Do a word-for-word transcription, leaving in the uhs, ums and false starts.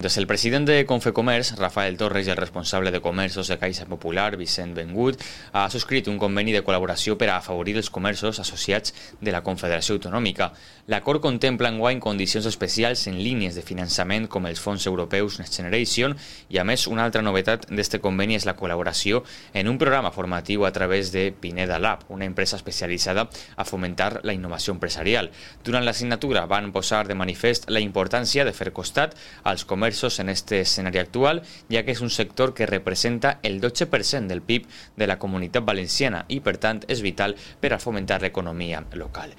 Des el president de Confecomerç, Rafael Torres, i el responsable de comerços de Caixa Popular, Vicent Bengut, ha subscrit un conveni de col·laboració per a afavorir els comerços associats de la Confederació Autonòmica. L'acord contempla enguany condicions especials en línies de finançament com els fons europeus Next Generation i, a més, una altra novetat d'este conveni és la col·laboració en un programa formatiu a través de Pineda Lab, una empresa especialitzada a fomentar la innovació empresarial. Durant la signatura van posar de manifest la importància de fer costat als comerços en este escenari actual, ja que és un sector que representa el dotze per cent del P I B de la Comunitat Valenciana i, per tant, és vital per a fomentar l'economia local.